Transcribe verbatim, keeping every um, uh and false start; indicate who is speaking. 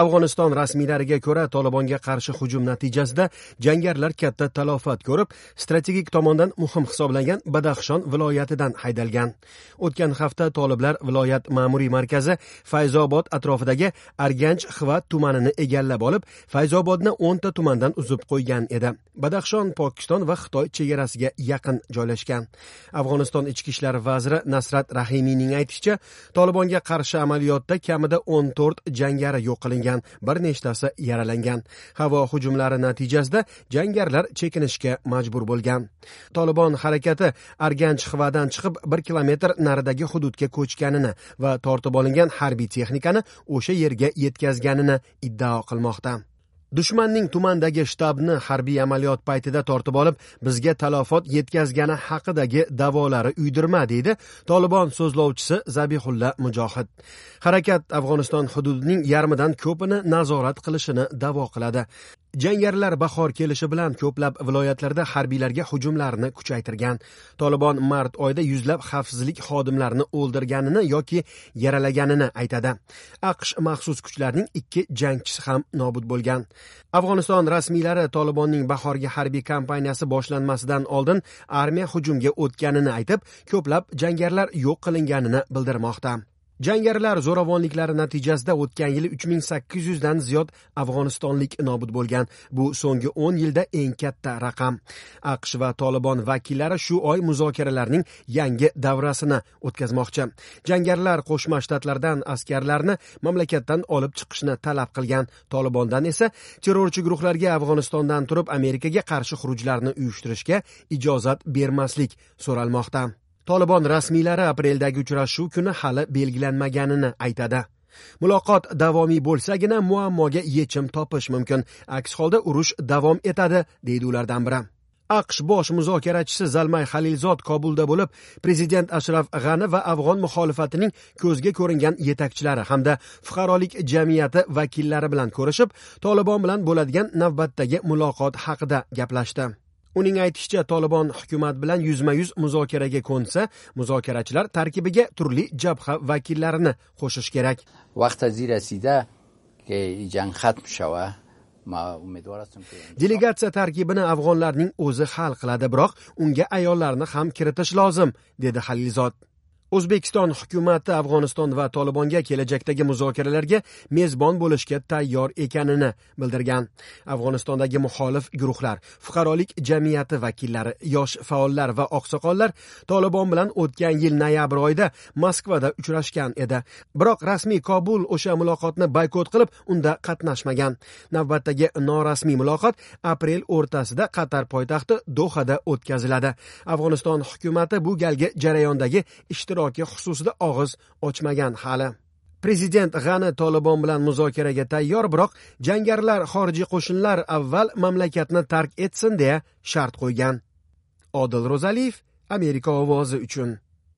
Speaker 1: Afg'oniston rasmiylariga ko'ra, Tolibonga qarshi hujum natijasida jangarilar katta talofat ko'rib, strategik tomondan muhim hisoblangan Badaxshon viloyatidan haydalgan. O'tgan hafta toliblar viloyat ma'muriy markazi Fayzobod atrofidagi Arganch Xvat tumanini egallab olib, Fayzobodni o'nta tumandan uzib qo'ygan edi. Badaxshon Pokiston va Xitoy chegarasiga yaqin joylashgan. Afg'oniston ichki ishlar vaziri Nasrat Rahimiyning aytishicha, Tolibonga qarshi amaliyotda kamida o'n to'rt jangari yo'q qilingan, bir nechtasi yaralangan. Havo hujumlari natijasida jangarilar chekinishga majbur bo'lgan. Tolibon harakati Arganch Xvadan chiqib bir kilometr naridagi hududga ko'chganini va tortib olingan harbiy texnikani o'sha yerga yetkazganini iddao qilmoqda. Dushmanning tumandagi shtabni harbiy amaliyot paytida tortib olib, bizga talofot yetkazgani haqidagi da'volari uydirma, deydi Tolibon so'zlovchisi Zabihulla Mujohid. Harakat Afg'oniston hududining yarmidan ko'pini nazorat qilishini da'vo qiladi. Jangarilar bahor kelishi bilan ko'plab viloyatlarda harbiylarga hujumlarni kuchaytirgan. Tolibon mart oyida yuzlab xavfsizlik xodimlarini o'ldirganini yoki yaralaganini aytadi. A Q Sh maxsus kuchlarining ikki jangchisi ham nobud bo'lgan. Afg'oniston rasmiylari Tolibonning bahorgi harbiy kampaniyasi boshlanmasidan oldin armiya hujumga o'tganini aytib, ko'plab jangarilar yo'q qilinganini bildirmoqda. Jangarilar zo'ravonliklari natijasida o'tgan yili uch ming sakkiz yuzdan ziyod afg'onistonlik nobud bo'lgan. Bu so'nggi o'n yilda eng katta raqam. A Q Sh va Tolibon vakillari shu oy muzokaralarning yangi davrasini o'tkazmoqchi. Jangarilar Qo'shma Shtatlardan askarlarni mamlakatdan olib chiqishni talab qilgan. Tolibondan esa terrorchi guruhlarga Afg'onistondan turib Amerikaga qarshi xurujlarni uyushtirishga ijozat bermaslik so'ralmoqda. Tolibon rasmiylari apreldagi uchrashuv kuni hali belgilanmaganini aytadi. Muloqot davomiy bo'lsagina muammoga yechim topish mumkin. Aks holda urush davom etadi, deydi ulardan biri. A Q Sh bosh muzokarachisi Zalmay Xalilzod Kobulda bo'lib, prezident Ashraf G'ani va afg'on muxolifatining ko'zga ko'ringan yetakchilari hamda fuqarolik jamiyati vakillari bilan ko'rishib, Tolibon bilan bo'ladigan navbatdagi muloqot haqida gaplashdi. Uning aytishicha, Tolibon hukumat bilan yuzma-yuz muzokaraga ko'nsa, muzokarachilar tarkibiga turli jabha vakillarini qo'shish kerak.
Speaker 2: Vaqt از رسیده که جنگ ختم شود. ما امیدوار هستم که
Speaker 1: Delegatsiya tarkibini afg'onlarning o'zi hal qiladi, biroq unga ayollarni ham kiritish lozim, dedi Xalilzod. O'zbekiston hukumati Afg'oniston va Tolibonga kelajakdagi muzokaralarga mezbon bo'lishga tayyor ekanini bildirgan. Afg'onistondagi muxolif guruhlar, fuqarolik jamiyati vakillari, yosh faollar va oqsoqollar Tolibon bilan o'tgan yil noyabr oyida Moskvada uchrashgan edi. Biroq rasmiy Kobul o'sha muloqotni boykot qilib, unda qatnashmagan. Navbatdagi norasmiy muloqot aprel o'rtasida Qatar poytaxti Dohada o'tkaziladi. Afg'oniston hukumati bu galgi jarayondagi ishtiroki xususida og'iz ochmagan hali. Prezident G'ani Tolibon bilan muzokaraga tayyor, biroq jangarilar, xorijiy qo'shinlar avval mamlakatni tark etsin deya shart qo'ygan. Odil Ro'zaliyev, Amerika ovozi uchun.